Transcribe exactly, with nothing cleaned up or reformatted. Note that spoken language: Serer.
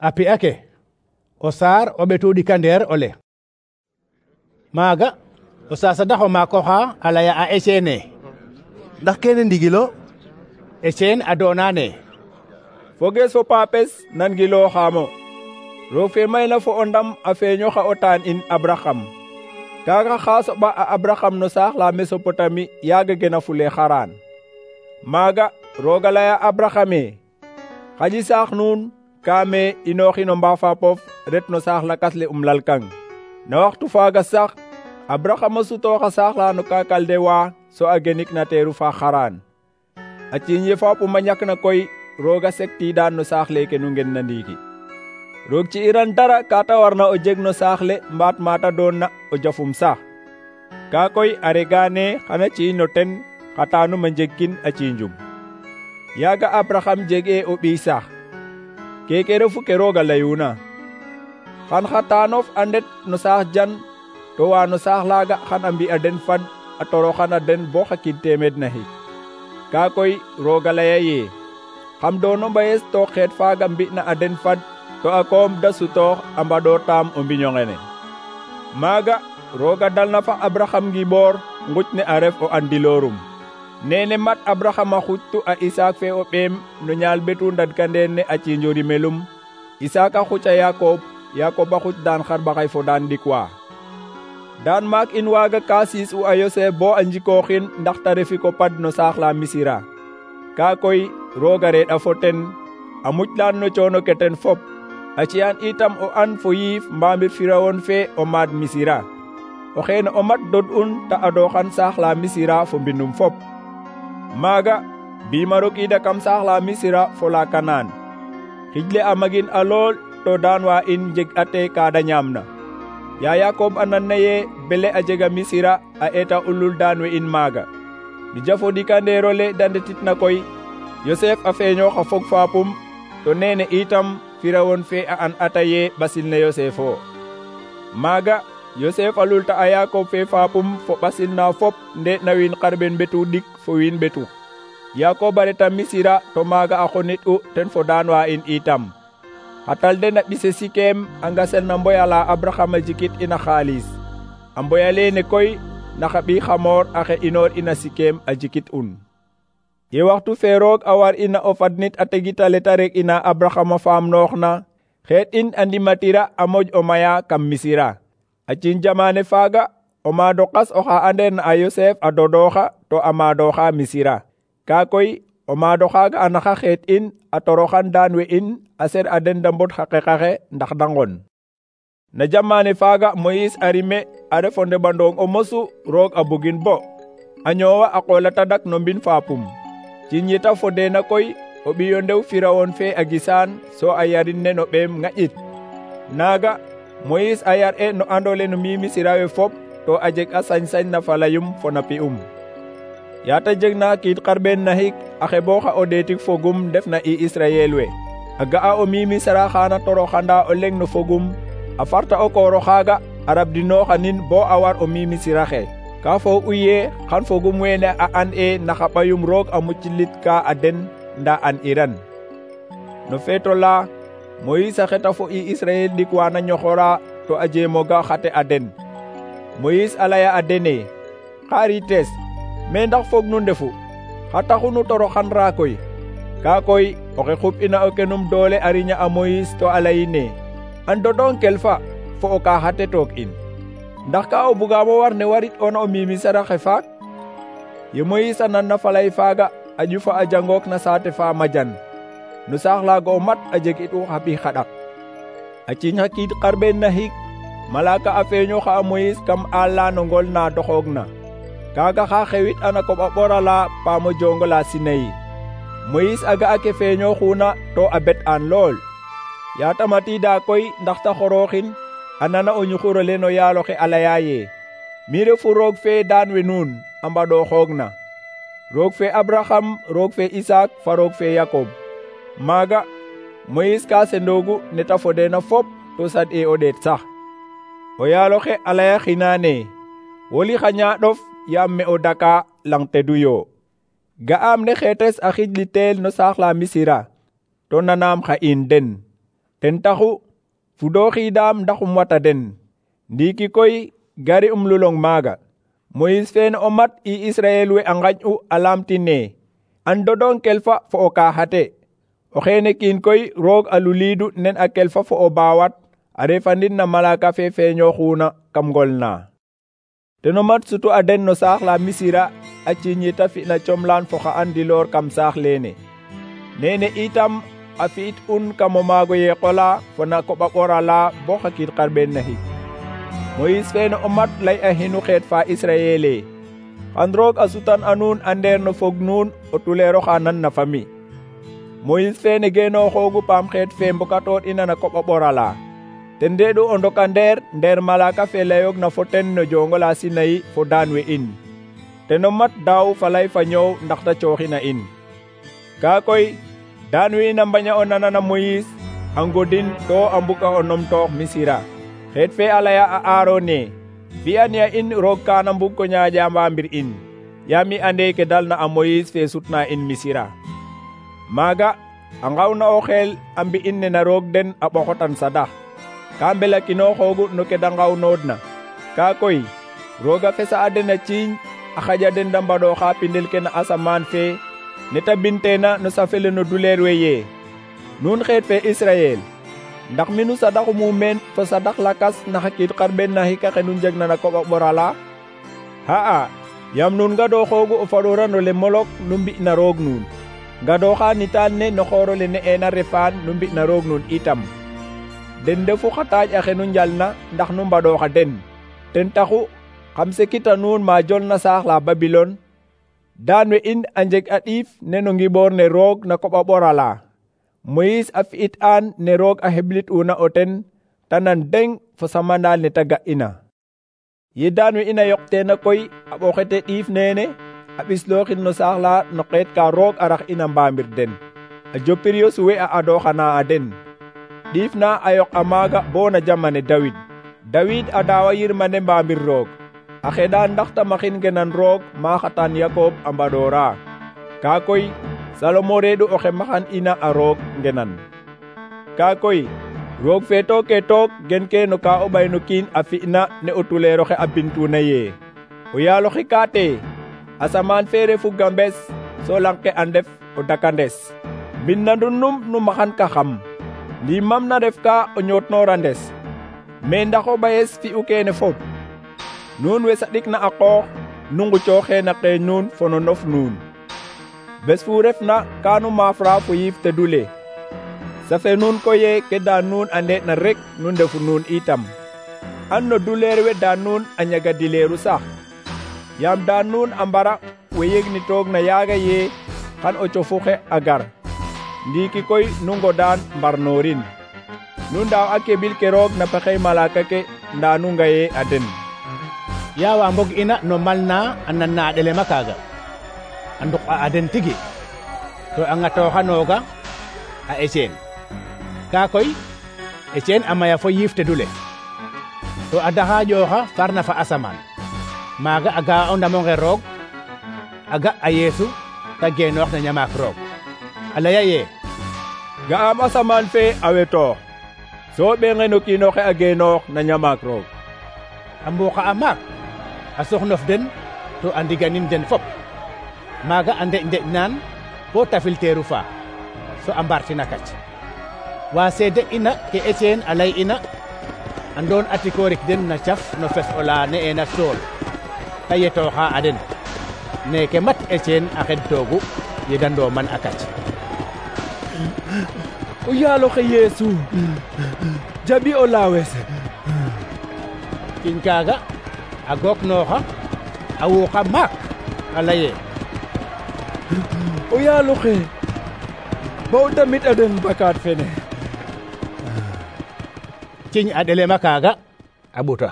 a pi'a ke o saar o ɓetu ɗikandeer ole. Maaga o sasadax o maak oxa a laya a Etienne ndax kene ndigilo? Etienne a doonane fogees fo paapes nan gilooxaamo. Roog fe mayna fo o ndam a feeñoxa o taan in Abraham. Kaaga xa soɓa a Abraham no saax la Mesopotami yaaga gena fule Xaraan. Maaga roog a laya Abrahame xaƴi saax nuun kaame inooxi no mbaafapof ret no saax lakas le um lalkang. Na waxtu faaga sax Abraham a sutooxa saax la no ka Kaldewa so a genik na teeru fa Xaraan. A ciiñ ye fapum a ñak na koy roog a sektiidaan no saax leke nu ngen na ndiiki. Roog ci iran dara kaata warna o jeg no saax le mbaat mata doon na o jafum sax. Kaa koy a regaane xana ci'iñ no ten xataanum a njegkin a ciinjum. Yaaga Abraham jeg'e o ɓiy sax. Keke refu ke roog a layuuna. Xan xataanof a ndet no saax jan to wa no saax laaga xan a mbi'a den fad a toroxana den bo xa kid teemeed naxik. Kaa koy roog a laya ye xam doono mbayes to xeet faaga mbi'na a den fad to a koom da sutoox a mbaɗoor taam o mbiño ngene. Maaga roog a dalna fa Abraham ngiboor nguc ne a ref o andiloorum. Nene mat Abraham a xuctu a Isaak fe o ɓeem no ñaal betu ndadkandeer ne a ciinjo rimelum. Isaak a xuc a Yakob, Yakob a xuc daan xarɓaxay fo daan ɗikwa. Daan maak in waaga ka siis u a Yosef bo a njikooxin ndax ta refi ko pad no saax la Misira. Kaa koy roog a reɗa fo ten a muclaan no coono ke ten fop. A ci'an itam o an fo yiif mbaamir Firawon fe o maad Misira. O xeene o mat dod'un ta adooxan saax la Misira fo mbinum fop. Maaga biima rokiida kam saax la Misira fo la Kanaan. Xijle a magin a lool to daan wa in jeg ate kaada ñaamna. Ya Yakob a nanna ye bele a jega Misira a eta ulul daan we in maaga. Mi jafo ɗikandeerole da ndetitna koy Yosef a feeñooxa fog faapum to nene itam Firawon fe a an ata ye ɓasil ne Yosef o. Maaga Yosef a lulta a Yakob fe faapum fo ɓasil na fop nde na wiin xarɓen ɓetu ɗik fo wiin ɓetu. Yakob a reta Misira to maaga a xonit u ten fo daan wa in itam. Xatal den a ɓise Sikem a ngasel na mboya la Abraham a jikit ina xaalis. A mboya leene koy na xa ɓiy Xamoor a xe inoor ina Sikem a jikit un. Ye waxtu fe roog a war ina o fadnit a tegitale ta rek ina Abraham a faam noox na xeet in a ndimatira a moƴ o maya kam Misira. A ciiñ jamaane faaga o maado qas oxa andeer na a Yosef a dodooxa to a maadooxa Misira. Kaa koy o maado xaaga a naxa xeet in a toroxan daan we in a ser a den da mbod xa qeqaxe ndax da ngon. Na jamaane faaga Moyis a rime a ref o ndeɓandoong o mosu roog a bugin bo a ñoowa a qool a tadak no mbin faapum. Ciiñ yeta fodeena koy o ɓiyo ndew Firawon fe a gisaan so a yarin ne no ɓeem ŋaƴit. Naaga Moyis a yar e no andole no mbi Misira we fop to a jeg a sañ-sañ na falayum fo na pi'um. Yaata jeg na kiit xarɓeen naxik a xebooxa o ɗeetik fogum ndef na i Israyel we. A ga'a o mbi Misira xaana toroxanda o leŋ no fogum a farta o kooro xaaga a rabdinooxanin bo a war o mbi Misira xe. Ka foog u ye xan fogum weene a an e naxa ɓayum roog a mucilit ka a den nda an iran. No feeto la Moyis a xeta fo i Israyel ɗik wana ñoxora to a jeemoga xate a den. Moyis a laya a dene xaarites me ndax foog nu ndefu xa taxu nu toroxanra koy. Kaa koy oxe xub ina o kenum doole a riña a Moyis to a layine an dodonkel fa fo o ka xate toog in. Ndax ka o bugaamo war ne warit ona o mimi saraxe faak? Ye Moyis a nanna falay faaga a ƴufa a jangook na saate fa majan. No saax laaga o mat a jeg it u xa ɓiy xaɗak. A ciiñ xa kiid xarɓeen naxik malaka a feeñooxa a Moyis kam aal la no ngol na doxoog na. Kaaga xa xewit ana koɓ a ɓora la paamo jongo la Sinayi. Moyis a ga'a ke feeñooxuna to a bet aan lool. Yaata matiida koy ndax ta xorooxin a nana o ñuxurole no yaaloxe a laya ye mi refu roog fe daan we nuun a mbaɗooxoog na. Roog fe Abraham, roog fe Isaak fa roog fe Yakob. Maaga Moyis ka sendoogu ne ta fodeena fop to sad e o ɗeet sax. O yaaloxe a laya xinaane woli xa ñaaɗof yaam me o daka lang tedu yo. Ga'aam ne xeetes a xijli teel no saax la Misira to nanaam xa in den. ten taxu fudooxidaam ndaxum wata den. Ndiiki koy gari um lulong maaga. Moïse fene o mat i Israel we a ngaƴ'u a lamtine an dodong kelfa fo o kaaxate. O xeene kiin koy roog a luliidu nen a kelfa fo o baawat a refandin na malaka fe feeñooxuna kam ngol na. Teno mat sutu a den no saax la Misira a ciiñita fi'na comlaan fo xa andiloor kam saax leene. Nene itam a fi'it un kam o maago yeeqola fo na koɓa ɓorala bo xa kiid xarɓeen naxik. Moïse fene o mat lay a xinu xeet fa Israel e xan roog a sutan a nuun a ndeer no fog nuun o tuleero xa nan na fami. Moïse fene geenooxoogu paam xeet fe mbokatoor ina na koɓa ɓorala ten ndeeɗu o ndokandeer ndeer malaka fe layoog na fo ten no jongola Sinayi fo daan we in. Teno mat daaw falay fa ñoow ndax ta cooxina in. Kaa koy daan we in a mbaña o nanana Moïse a ngodin to a mbuga o numtoox Misira. Xeet fe a laya a Aarone fi'aniya in roog kaana mbug ko ñaaƴa mbaambir in yaam i ande ke dalna a Moïse fe sutna in Misira. Maaga a ngawna o xeel a mbi'in ne na roog den a ɓoxotan sadax ka mbelakinooxoogu no ke da ngawnoodna. Kaa koy roog a fesa a den a ciiñ a xaƴa den da mbaɗooxa pindel ke na asamaan fe ne ta binteena no safele no duleer we yee nuun xeet fe Israel ndax minu sadaxu mumeen fo sadax lakas na xa kiid xarɓeen naxik axe nu njegna na koɓa ɓorala? Xa'a yaam nuun ngadooxoogu o faɗorano le Molok nu mbi'na roog nuun ngadooxa nitaan ne no xoorole ne'eena Refaan nu mbi'na roog nuun itam. Den ndefu xa taaƴ axe nu njalna ndax nu mbaɗooxa den. Ten taxu xam sekita nuun ma jolna saax la Babilon daan we in a njeg a ɗiif ne no ngiɓoor ne roog na koɓa ɓorala. Moïse a fi'it aan ne roog a xeblit una o ten ta nan deng fo samandaal ne ta ga'ina. Ye daan we in a yoqteena koy a ɓoxete ɗiif neene a ɓislooxin no saax la no xeet ka roog a rax ina mbaamir den a jopir yo suwe a adooxana a den. Ɗiif na a yoq a maaga bo na jamane Dawid. Dawid a daawa yirmande mbaamir roog a xeɗa ndax ta maxin ngenan roog ma xatan Yakob a mbaɗoora. Kaa koy Salomo reeɗu oxe maxan ina a roog ngenan. Kaa koy roog fe tooke took gen ke no ka o ɓay no kiin a fi'na ne o tuleeroxe a bintuna yee o yaaloxe kaate asamaan fe refu gambes so lang ke a ndef o dakandes. Mbindandun num nu maxan ka xam ndimam na ref ka o ñootnoora ndes mais ndax o ɓayes fi'u keene fop nuun we saɗikna a qoox nu ngucooxee na qeeñ nuun fo no nof nuun. Bes fu refna ka nu maafra fo yiif tedule safe nuun koye ke daan nuun a nde'na rek nu ndefu nuun itam an no duleer we daan nuun a ñaga dileeru sax yaam daan nuun a mbara we yegnitoog na yaaga yee xan o cofu xe a gar. Ndiiki koy nu ngodaan mbarnoorin nu ndaaw a keɓil ke roog na pexey malaka ke ndaa nu ngaye a den. Yaawa mbog ina no malna a nanna a ɗelema kaaga a nduk a den tigi to a ŋatooxanooga a Etienne. Kaa koy Etienne a maya fo yiif tedule to a daxaaƴooxa farna fa asamaan maaga a ga'a o ndamonge roog a ga a Yeesu ta geenoox na ñamaak roog a laya yee ga'aam asamaan fe a wetoox so ɓeŋe no kiinoxe a geenoox na ñamaak roog. A mbuuqa a maak a soxnof den to a ndiganin den fop maaga a ndeƴ ndeƴ naan bo tafil teeru fa so a mbartina kac wa seede ina ke Etienne a lay ina a ndoon atikoorik den na caf no fes ola ne'eena sool ta yetooxa a den neeke mat Etienne a xed toogu yeda ndooman a kac. O yaaloxe Yeesu jaɓi o laawes. Kiñ kaaga a gooknooxa a wuuxa maak a laye o yaaloxe ba o damit a den bakaat fene. Ciñ a ɗelema kaaga a ɓuta.